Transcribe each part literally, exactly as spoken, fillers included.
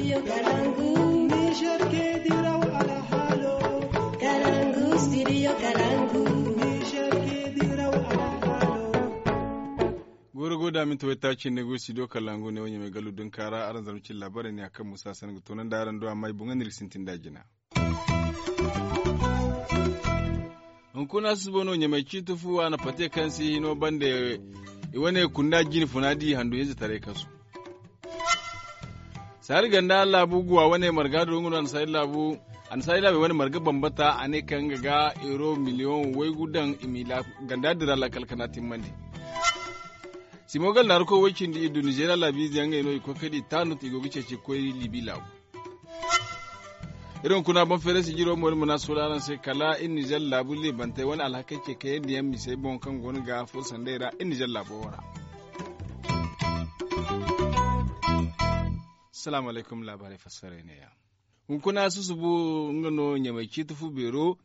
Niger ke diraw alhalo. Kalangu studio Kalangu. Niger ke diraw alhalo. Goro goda min tawai ta cin ne go studio Kalangu ne wanya mai galu dun kara aran zarmu cin labarai ne akan musa san ga tonan da aran do amma i bunga nirgi sintin da jina. Hunkuna susubo no ɲamay ciiti fu a na pate kaŋ si hino bande i wane kunda jine funa di handu hinza taray kasu. Saari ganda laabu guwa wane marga do nga no a na saari laabu i wane marga bambata a ne kaŋ nga ga euro miliyoŋ waygu daŋ i ma ganda dira lakkal kana timmandi. Simogal naarako way cindi i du nizeeriya laabiize yaŋ ngey no i koy kay da i taanut i go ga ceeci ga koy libi laabu. Iri hunkuna boŋ feere sijiro mo iri ma na suula araŋ se kala iri nizer laabu leebantey wane alhakey ce kayandi yaŋ misey boŋ kaŋ go no ga furo sanday ra iri nizer laabo wo ra. Salaamu alaykum laabaarey fassaray neeya. Hunkuna susubu nga no ɲamay ciiti fu beero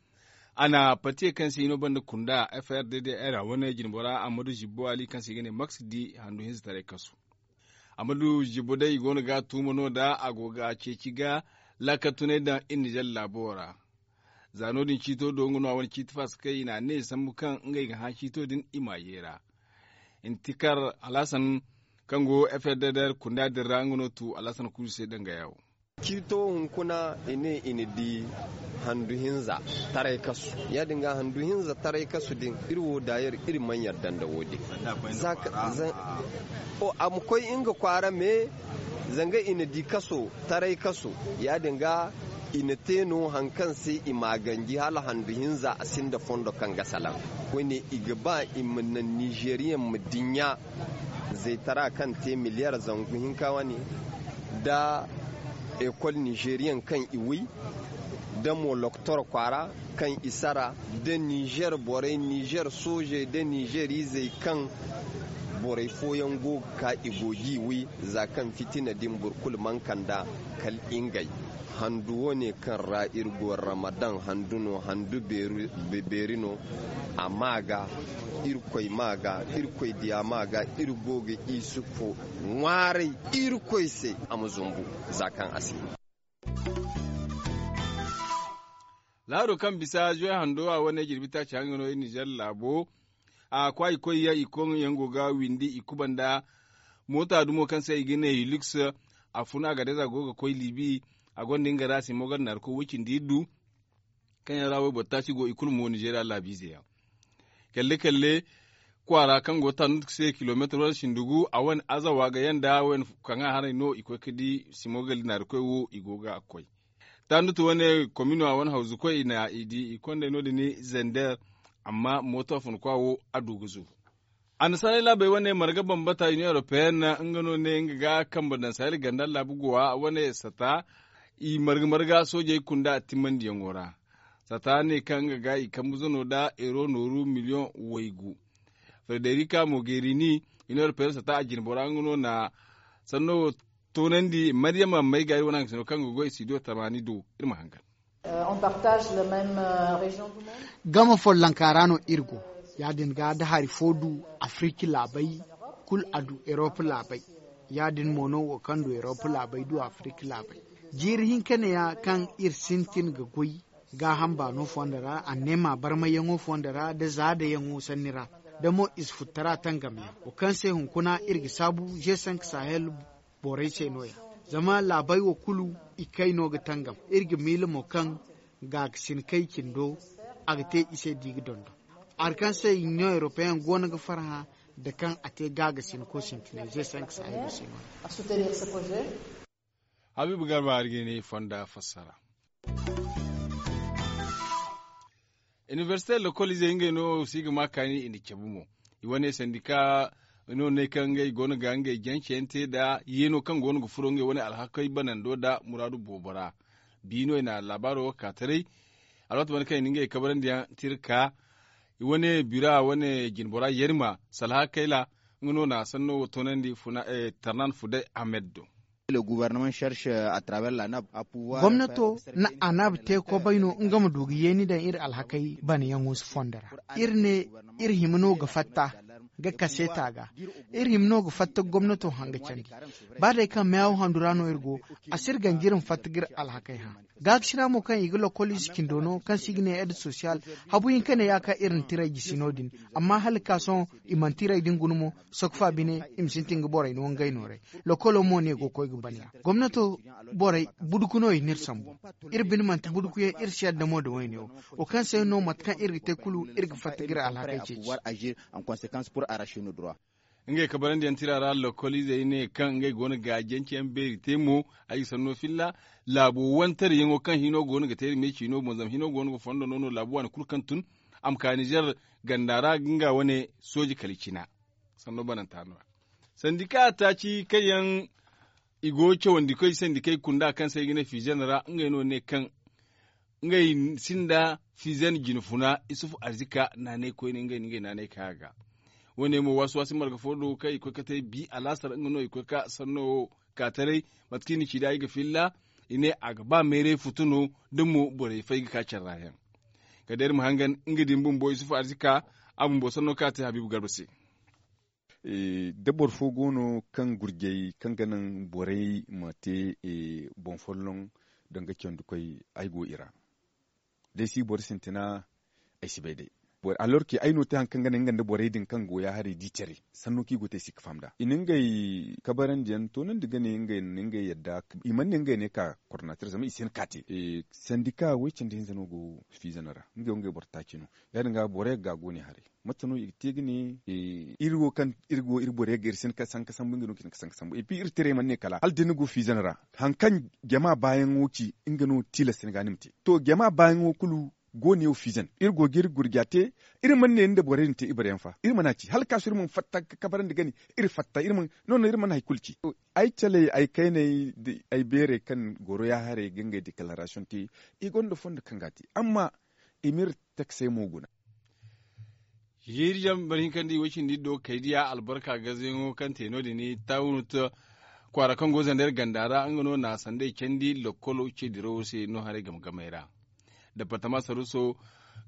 a na patiye kaŋ se i no banda kunda f r d d r wane jinbora ammadu zibbo ali kaŋ se i ga ne max di handu hinza taray kasu. Ammadu zibbo day i go no ga tuuma no da a go ga ceeci ga laakal tunay daŋ iri nizer laabo ra. Za no- din ciito do nga no a wane ciiti faasa kaŋ i n'a ne sambu kaŋ ngey ga hã ciito din i m'a yeera. Intikar alhasan kaŋ go f r d d r kunda din ra nga no tu alhasan kuusu se danga yawo. Ciito hunkuna i ne i na di handu hinza taray kasu. Ya- din ga handu hinza taray kasu din iri wo daayer iri mana yarda nda wo- din. A ma koy nga kwaara me zanga i na di kaso taray kaso. Ya- din ga i na te no hari kaŋ se i m'a ganji hala handu hinza a sinda fondo kaŋ ga salaŋ. Koyne i ga ba i ma naŋ nizeeriyaŋ ma dinya zaytara kaŋ te miliyar zangu hinka wane nda ekol nizeeriyaŋ kaŋ i wi nda mo lokotor kwaara kaŋ i sara nda nizer borey nizer soojey nda nizer izey kaŋ borey fooyaŋ go ga ka i go ga i wi za kaŋ fitina din boro kulu mana kand'a kala ngey. Handu wo- ne kaŋ ra iri go ramadan handu no handu beeri no. A ma ga irkoy ma ga irkoy diya ma ga iri go ga isufu ŋwaaray irkoy se a ma zumbu za kaŋ a si. Laado kaŋ bisa zuway hando a wane jirbi taaci haŋ ga no iri nizer laabo a kwaayi koy yaŋ i koŋ yaŋ go ga windi i kubanda moota dumo kaŋ se i ga ne hilux. A funa a ga day za go ga koy libi a gonda nga ra simo ga naari koy way cindi iddu kaŋ yaŋ ra wayboro taaci go i kulu mo nizeeriya laabiize yaŋ. Kalle kalle kwaara kaŋ go tanut se kilomeetar wane sindugu a wane azawa ga yaŋ da wane kaŋa haray no i koy ga di simo ga naari koy wo i go ga koy. Tanut wane komino a wane hawzu koy i na i di i kondey no- din zender. Amma mooto a fun kwa wo a du ga zu. Annasaarey laabey wane marga bambata union européenne nga no ne nga ga kambe daŋ sahel ganda laabu gowa wane sata i marga marga soojey kunda a timmandiyaŋo ra. Sata ne kaŋ nga ga i kambe zano nda euro nooru miliyoŋ waygu. Frederika mogerini union européenne sata a jinbora nga no na sanno wo toonandi maryama may ga iri wane haŋ ga sino kaŋ ga goy studio tamaani do iri ma hangan. Game follonka ra no iri go. Ya- din ga da hari fo du afiriki laabay kulu a du erop laabay. Ya- din mo no wo kaŋ du erop laabay du afiriki laabay. Jiiri hinka ne- ya kaŋ iri sintin ga goy gaaham baano fondo ra anneema barmayyaŋo fondo ra nda zaadayaŋo sanni ra nda mo ize futtara tangamyaŋ wo kaŋ se hunkuna iri ga saabu g cinq sahel borey se no- ya. Zama laabey wo kulu i kay no ga tangam iri ga miila mo kaŋ gaagasin kay cindo a ga te i se da i ga dondon. Hari kaŋ se union européenne go no ga farhã nda kaŋ a te gaagasinko sintinay g cinq sahel se no- ya. Habiibu garba hari ga ne fonda fassara. Inibersite lokol izey ngey no si ga ma kaani i na cabe mo. I wane sandika no ne kaŋ ngey go no ga ngey janceyaŋ te nda yeeno kaŋ go no ga furo ngey wane alhakey banando nda muraadu boobo ra. Bi no i na laabaaro wo ka taray. Alwaati wane kaŋ i na ngey kabarandiyaŋ tira ka i wane bira wane jinbora yerima salha kayla nga no na sanno wo toonandi tarnan fuday ahmed do. Gomnato na anab te kobay no nga ma du ga yeeni daŋ iri alhakey banayaŋo fondo ra. Iri ne iri hima no ga fatta ga kaseeta ga. Iri hima no ga fatta gomnato hanga candi. Ba day kaŋ meyawo handu ra no iri go, a si iri ganji iri ma fatta ga iri alhakey hã. Gaakasina mo kaŋ i ga lokoliize cindo no kaŋ se i ga ne ed sosiyal, habu hinka ne ya kaŋ iri na tiray jisi no- din. Amma hala ga ka sohõ, i mana tiray din guna mo. Sokfa bine, i ma sintin ga borey no ngey nooray. Lokolo mo ne go ga koy ga ban ya. Gomnato borey, buduku no i n'iri sambu. Iri bine manti budukuyaŋ, iri si yadda mo nda woyne wo. Wo kaŋ se no mate kaŋ iri ga te kulu, iri ga fatta ga iri alhakey ceeci. Ngey kabarandiyaŋ tira ra lokoliizey ne kaŋ ngey go no ga jance yaŋ beeri te mo. Ay ga sanno filla, laabo wantaryaŋo kaŋ hino go no ga te iri me ciino boŋ zama hino go no ga fondo no no laabu waani kulu kaŋ tun, a ma ka nizer ganda ra ga nga wane sooji kala i cina. Sanno bananta no- ya sandika taaci kaŋ yaŋ i go cawandi koy sandikey kunda kaŋ se ay ga ne fiizan ra ngey no ne kaŋ ngey sinda fiizan jinfuna, isufu arzika naanay koyne ngey na ngey naanay ka ga. Wo- ne mo waasi waasi marga fo do kaŋ i koy ga te bi alaasar nga no i koy ga sanno wo ka taray. Mate kaŋ i na ci nd'a ay ga filla, i ne a ga ba mayray futu no da mo borey fay ga ka care ra yaŋ. Kala day iri ma hangan nga din bumbo isufu arzika, a bumbo sanno kaŋ a te habiibu garba se. Da boro fo go no kaŋ gurjey kaŋ ga naŋ borey ma te boŋ folloŋ, danga candi koy ay go i ra. Da ay si boro sintina, ay si bay day. Alorki ay no te hari kaŋ ga naŋ nga nda borey din kaŋ go ya haray di care, sanno kaŋ i go te ay si ga faham nd'a i na ngey kabarandiyaŋ toonandi ga ne ngey na ngey yadda. I mana ne ngey ne ka kornater zama i si hin ka te. Sandika way cindi hinza no go fiizano ra, ngey wo ngey boro taaci no. Ya- din ga borey ga gaagu ne haray. Mate no i ga te ga ne iri wo kaŋ iri go iri borey ga iri si hin ka sanka sambu nga no ga hin ka sanka sambu epi iri tirey mana ne kala hala da ni go fiizano ra, hari kaŋ jama baayaŋo ci, nga no tilas ni ga ni ma te. To jama baayaŋo kulu go ne wo fiizan iri go ga iri gurja te. Iri mana ne ni nda borey din te ibareyaŋ fa iri mana ci hala ga ka sohõ iri mana fatta ga kabarandi ga ne iri fatta iri mana no no iri mana hari kulu ci. Ay caley ay kayney da ay beerey kaŋ goro ya haray ga ngey deklaarasiyoŋ te, i gonda fondo kaŋ ga a te amma i m'iri taksey mo guna. Jiiri jaŋ boro hinka nda i way cindi iddo kaydiya albarka gazeyaŋo kaŋ te no- din tawunut kwaara kaŋ go zander ganda ra nga no na sanday candi lokkolo ce dirawo se no haray game gamey ra. Departama saruso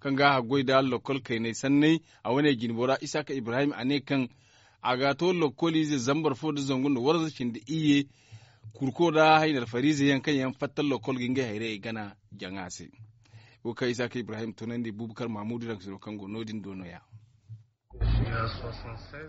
kaŋ ga a haggoy nda lokkol kaynay sanney, a wane jinbo ra isaaka ibrahim a ne kaŋ a ga a to lokkoliize zambar fo nda zangu nda warza cindi iyye, kurko nda haynarfariize yaŋ kaŋ yaŋ fatta lokkol ga ngey hayrayey gana jaŋa se. Wo kaŋ isaaka ibrahim tunandi bubakar mahamudu raŋ sino kaŋ go no- din do no- ya.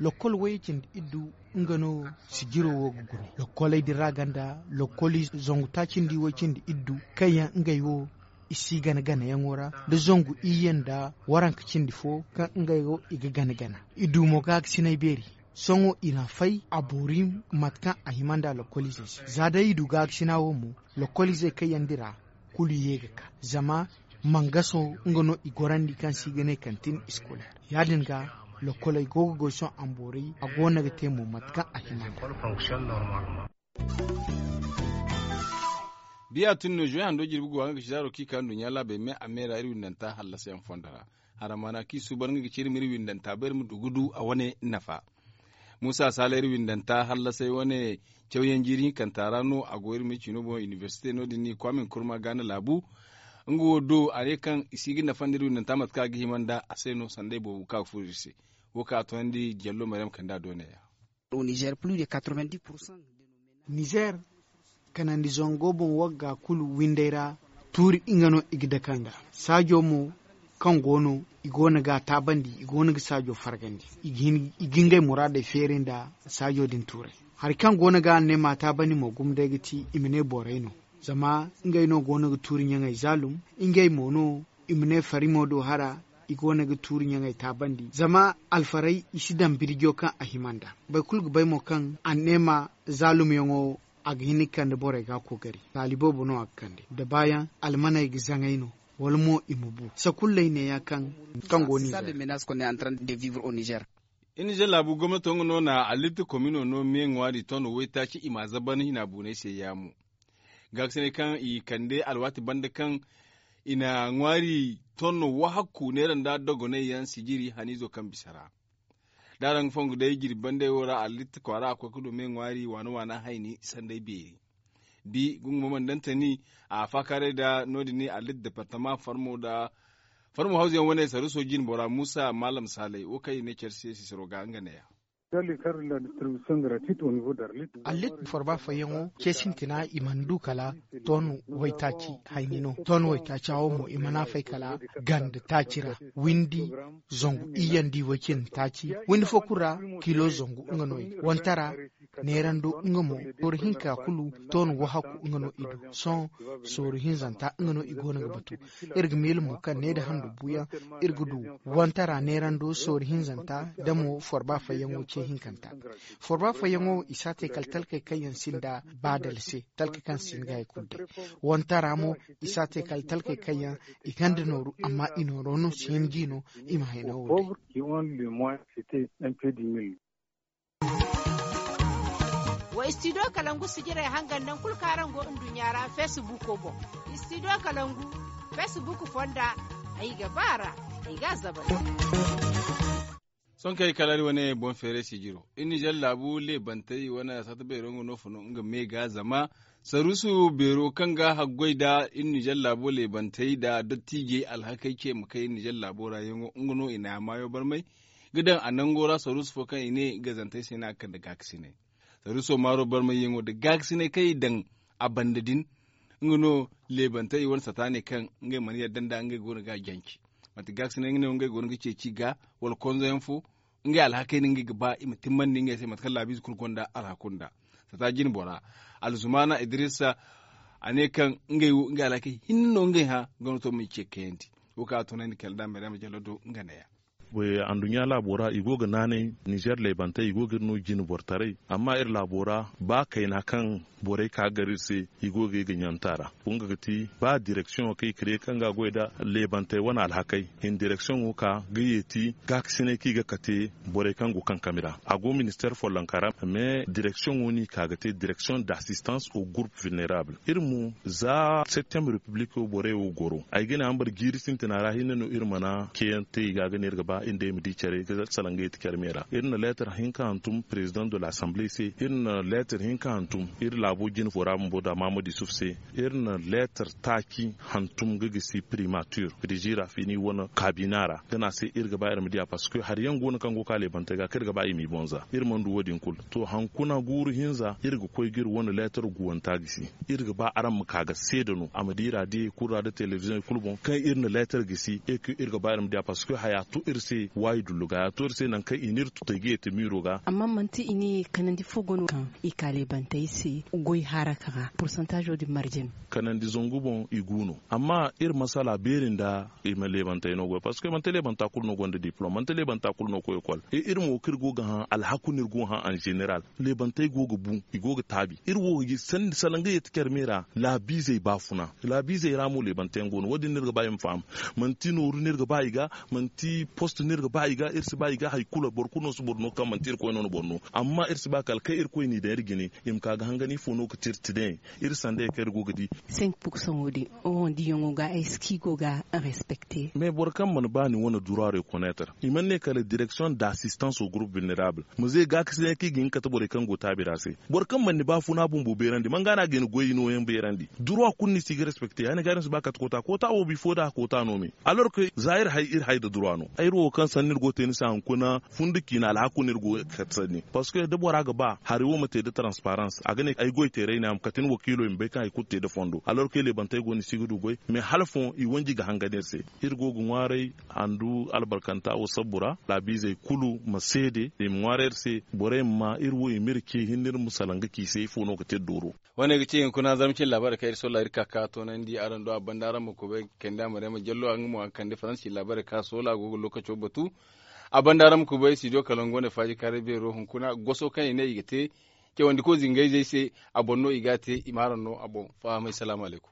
Lokkol wayye cindi iddu nga no sijiro wo ga gune lokkoley din ra ganda lokkoli zangu taaci nda i way cindi iddu kaŋ yaŋ ngey wo i si gana ganayaŋo ra nda zangu iyye nda waranka cindi fo kaŋ ngey wo i ga gana gana. Iddu mo gaakasinay beeri. Sohõ i na a fay a boori mate kaŋ a hima nda lokkoliizey se za day i du gaakasina wo mo lokkoliizey kaŋ yaŋ dira kulu ye ga ka zama mangaso nga no i gorandi kaŋ se i ga ne kantin iskoler. Ya- din ga lokkoley go ga goy sohõ a ma boori a go no ga te mo mate kaŋ a hima nda. Biya tun no zuwey hando jirbi go a nga ga ci zaaro kaŋ i ka nduɲɲa laabey me a me ra iri windanta hallasa yaŋ fondo ra. Haramana kaŋ i suubar nga ga ci iri ma iri windanta bay iri ma du ga du a wane nafa. Muusa saala iri windanta hallasay wane cawyaŋ jiiri hinkanta ra no a go iri ma ciino boŋ inibersite no- din ni kwaamin kurma gaana laabu. Nga wo do a ne kaŋ i si ga nafandi iri windanta mate kaŋ a ga hima nda a se no sanday boobo kaŋ a ga furo iri se. Wo kaŋ a toonandi jallo maryam kanda dooney ya. Nizer pulus de katrovendis pursan. Nizer kanandi zango boŋ wagga kulu windey ra tuuri nga no i ga dake nd'a. Saajo mo kaŋ go no i go no ga a taabandi i go no ga saajo fargandi. I ga ngey muraadey feeri nda saajo din tuurey. Hari kaŋ go no ga a ne ma a taabandi mo gumo day ga ti i ma ne borey no. Zama ngey no go no ga tuuri ɲaŋey zaalum. Ngey mo no i ma ne farimo do hara. I go no ga tuuri ɲaŋey taabandi zama alfarey i si daŋ birjo kaŋ a hima nd'a. Boro kulu ga bay mo kaŋ anneema zaalumyaŋo a ga hin ga kande borey ga a koogari taali boobo no a ga kande da baayaŋ almaney ga zaŋay no. Wala mo i ma bu sakulley neeya kaŋ go nizer. Inize laabu gomnato nga no na allitti komino no me ŋwaari tono waytaaci i m'a zaban hina buunay se yaamo. Gaakasinay kaŋ i kande alwaati banda kaŋ i na ŋwaari tonno wahakku neera nda dogonay yaŋ sijiri haniizo kaŋ bisa ra. Da araŋ ga fongu day jirbi bandey wo ra allitti kwaara a koy ga du me ŋwaari waana waana hayni sanday beeri. Bi gungumo mana daŋ tani a faakaaray nda no- din ni allitti departama farmo nda Farmo hawzu yaŋ wane saruso jine bora muusa maalam saalay wo kaŋ i ne care se sisiro ga nga neeya. Allit forba fayyaŋo ce sintina i mana du kala ton waytaaci hayni no ton waytaaca wo mo i mana fay kala ganda taaci ra windi zangu iyandi way cindi taaci windi fo kulu ra kilo zangu nga no i ga wantara neerando nga mo sooru hinka kulu ton wahaku nga no i du sohõ sooru hinzanta nga no i go no ga batu. Iri ga miila mo kaŋ ne nda handu buuyaŋ iri ga du wantara neerando sooru hinzanta nda mo forba fayyaŋo ce hinkanta. Forba fayyaŋo i si a te kala talkey kaŋ yaŋ sinda baadal se talkey kaŋ si hin ga hari kulu day. Wantara mo i si a te kala talkey kaŋ yaŋ i gonda nooru amma i nooro no si hin g'i no i ma hayno wo day. Wa istidiyo kalangu sijirey hangan nangu kulu kaŋ araŋ go nduɲɲa ra feesibuuko boŋ. Istidiyo kalangu feesibuuko fonda ay ga ba a ra ay ga a zabari. Sohõ kaŋ ay kalaari wane boŋ feeray sijiro iri nizer laabu leebantey wane saata beero nga no fun nga me ga zama saruusu beero kaŋ ga haggoy nda iri nizer laabo leebantey nda dottiijey alhakey ce ma kay iri nizer laabo ra yaŋo nga no i na a maayo barmay ga daŋ a nango ra saruusu fo kaŋ i ne gazantey se no a ga kande gaakasinay. Saruuso maaro barmayyaŋo nda gaakasinay kaŋ i daŋ a banda din nga no leebantey i wane sata ne kaŋ ngey mana yadda nda ngey go no ga a jance. Manti gaakasinay nga ne wo ngey go no ga ceeci i ga wala konzoyaŋ fo ngey alhakey no ngey ga ba i ma timmandi ngey se mate kaŋ laabiize kulu gonda alhaku nda sata jine bora alzumaana idrisa a ne kaŋ ngey wo ngey alhakey hinne no ngey hã. Ganato ma i ce kayandi wo kaŋ a tunandi kala da maryama jallo do nga neeya. Anduɲɲa laabo ra i go ga naanay nizer leebantey i go ga iri no jine boro taray amma iri laabo ra ba kayna kaŋ borey ka gar iri se i go ga iri ga ɲanta ra. Nga ga ti ba direksiyoŋo kaŋ i kire kaŋ ga a goy nda leebantey wane alhakey i na direksiyoŋo ka ga yeeti gaakasinay kaŋ i ga kate borey kaŋ go kankami ra a go ministeer follonka ra. Mais direksiyoŋo no i ka ga te direksiyoŋ d'assistance au groupe vulnerable. Iri mo za septembre republico borey wo goro ay ga ne hambara jiiri sintina ra hinne no iri mana ceeyaŋ te i ga ga ne iri ga ba iri day ma di care ga salaŋ ga yeeti care me ra iri na leetar hinka hantum président de l'assemblée se iri na leetar hinka hantum iri laabo jine fo ra bumbo da mahamadu yusuf se iri na leetar taaci hantum ga gisi primature riziira fini wane kaabina ra ga ne a se iri ga ba iri ma di a parce que hari yaŋ go no kaŋ go ga ka leebantey ga kaŋ iri ga ba i m'i boŋ za iri mana du wo- din kulu to hankuna guuru hinza iri ga koy ga iri wane leetar guwanta gisi iri ga ba araŋ ma ka ga seeda no a ma di raadiyey kulu ra nda telebiziyoŋey kulu boŋ kaŋ iri na leetar gisi e kaŋ iri ga ba iri ma di a parce que haya to iri se waayi dullu ga haya to iri se nangu kaŋ i n'iri tutay ga yeete miiro ga. Amma manti i ne kanandi fo go no kaŋ i ka leebantey se goy haraka ra pursantaazo din marje no. Kanandi zangu boŋ i gu no amma iri masala beeri nda i ma leebantey no goy parce que manti leebanta kulu no gonda diplom manti leebanta kulu no koy ekol iri mo kaŋ iri go ga hã alhaku no iri go ga hã en general. Leebantey go ga bu i go ga taabi iri wo ga ji sanni salaŋ ga yeeti care me ra laabiizey baafuna laabiizey ra mo leebante yaŋ go no wo- din no iri ga ba i ma faham. Manti nooru no iri ga ba i ga manti post no iri ga ba i ga iri si ba i ga hari kulu boro kulu no si boro no kaŋ manti irkoy no na boro no amma iri si ba kala kaŋ irkoy n'i daŋ iri jine i ma ka ga hangan ifo no ga ti iri ti daŋ iri sanda ye kaŋ iri go ga di. Senk pursaŋo din oho diyaŋo ga ay si kaŋ i go ga respecte. Mais boro kaŋ mana ba ni wane dura reconnaître i mana ne kala direction d'assistance au groupe vulnerable ma ze gaakasinay kaŋ i ga hin ga kate borey kaŋ go taabi ra se. Boro kaŋ mana ni baafuna bumbo beerandi man ga no a ga ni goy nooyaŋ beerandi dura kulu ni si ga respecte ya- din ga no si ba kate koota koota wo bifo da koota no me. Alors que za iri hay iri hay nda dura no ay iri wo kaŋ sanni iri go ga te ni se hunkuna fundi ciina alhaku no iri go ga kate sanni parce que da bora ga ba hari wo ma te nda transparence a ga ne ay goy teeray no ya ma kate ni wakiilo i ma bay kaŋ hari kulu te nda fondo alors que leebantey go no i si ga du goy. Mais hala fooyaŋ i wanji ga hangan iri se. Iri go ga ŋwaaray handu albarkanta wo sabbu ra laabiizey kulu ma seede i ma ŋwaaray iri se borey ma maa iri wo i ma iri ce hinne iri ma salaŋ ga ci i se ifo no ga te dooro. Wane ga ci hunkuna zarma cine laabaarey kaŋ iri solla iri ka ka toonandi araŋ do a banda araŋ ma kubay kande a ma reema jallo a nga mo a ga kande faransi laabaarey kaŋ a soola a go ga lookaco batu. A banda araŋ ma kubay studio kalangu wane faaji kaaray beero hunkuna goso kaŋ i ne i ga te cawandi ko zingayzey se. A boŋ no i ga a te i ma araŋ no a boŋ fahamay salaamu alaykum.